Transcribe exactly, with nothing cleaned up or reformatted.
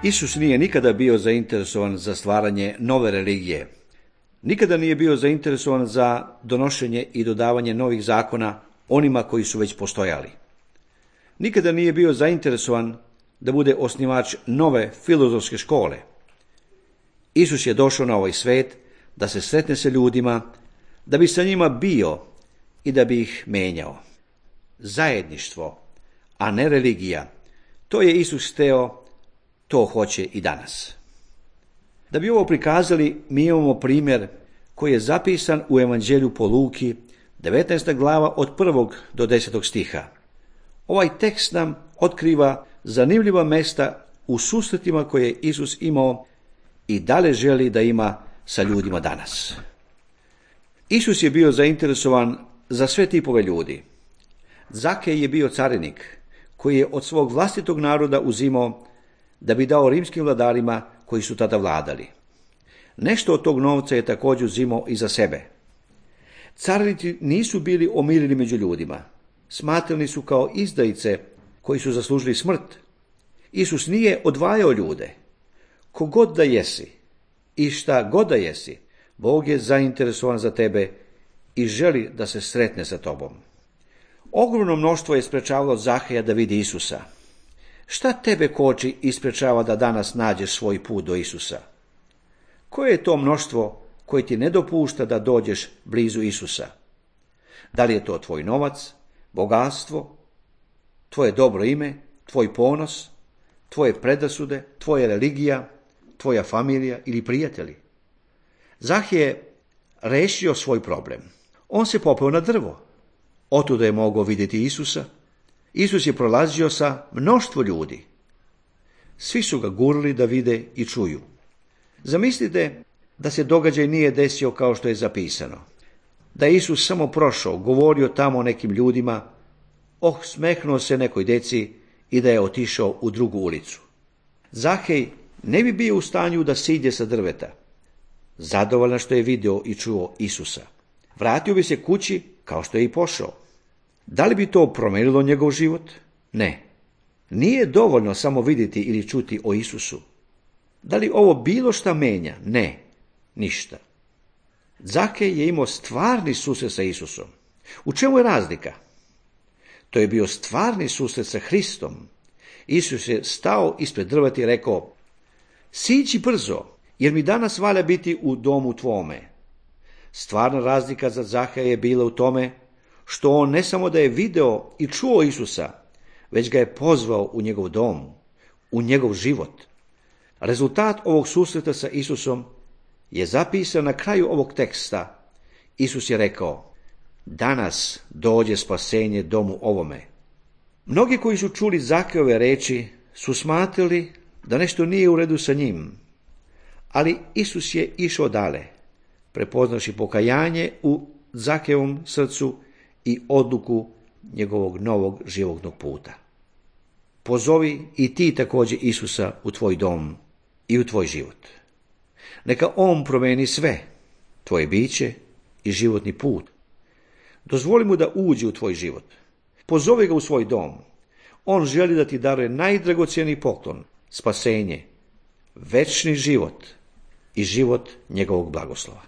Isus nije nikada bio zainteresovan za stvaranje nove religije. Nikada nije bio zainteresovan za donošenje i dodavanje novih zakona onima koji su već postojali. Nikada nije bio zainteresovan da bude osnivač nove filozofske škole. Isus je došao na ovaj svet da se sretne sa ljudima, da bi sa njima bio i da bi ih menjao. Zajedništvo, a ne religija, to je Isus hteo, to hoće i danas. Da bi ovo prikazali, mi imamo primjer koji je zapisan u Evanđelju po Luki, devetnaesta glava od prvog do desetog stiha. Ovaj tekst nam otkriva zanimljiva mesta u susretima koje je Isus imao i dalje želi da ima sa ljudima danas. Isus je bio zainteresovan za sve tipove ljudi. Zakej je bio carinik koji je od svog vlastitog naroda uzimao da bi dao rimskim vladarima koji su tada vladali. Nešto od tog novca je također uzimao i za sebe. Carinici nisu bili omiljeni među ljudima. Smatrani su kao izdajice koji su zaslužili smrt. Isus nije odvajao ljude. Kogod da jesi i šta god da jesi, Bog je zainteresovan za tebe i želi da se sretne sa tobom. Ogromno mnoštvo je sprečavalo Zaheja da vidi Isusa. Šta tebe koči i sprečava da danas nađeš svoj put do Isusa? Koje je to mnoštvo koje ti ne dopušta da dođeš blizu Isusa? Da li je to tvoj novac, bogatstvo, tvoje dobro ime, tvoj ponos, tvoje predrasude, tvoja religija, tvoja familija ili prijatelji? Zahej je rešio svoj problem. On se popeo na drvo. Otuda je mogao vidjeti Isusa. Isus je prolazio sa mnoštvo ljudi. Svi su ga gurli da vide i čuju. Zamislite da se događaj nije desio kao što je zapisano. Da je Isus samo prošao, govorio tamo o nekim ljudima, oh, smehnuo se nekoj deci i da je otišao u drugu ulicu. Zahej ne bi bio u stanju da siđe sa drveta, zadovoljan što je video i čuo Isusa. Vratio bi se kući kao što je i pošao. Da li bi to promenilo njegov život? Ne. Nije dovoljno samo vidjeti ili čuti o Isusu. Da li ovo bilo šta menja? Ne, ništa. Zakej je imao stvarni susret sa Isusom. U čemu je razlika? To je bio stvarni susret sa Hristom. Isus je stao ispred drveta i rekao, siđi brzo, jer mi danas valja biti u domu tvome. Stvarna razlika za Zaheja je bila u tome što on ne samo da je video i čuo Isusa, već ga je pozvao u njegov dom, u njegov život. Rezultat ovog susreta sa Isusom je zapisan na kraju ovog teksta. Isus je rekao, danas dođe spasenje domu ovome. Mnogi koji su čuli Zakejove reči su smatrali da nešto nije u redu sa njim, ali Isus je išao dalje, prepoznavši pokajanje u Zakejovom srcu i odluku njegovog novog životnog puta. Pozovi i ti također Isusa u tvoj dom i u tvoj život. Neka on promeni sve, tvoje biće i životni put. Dozvoli mu da uđe u tvoj život. Pozovi ga u svoj dom. On želi da ti daruje najdragocjeniji poklon, spasenje, večni život i život njegovog blagoslova.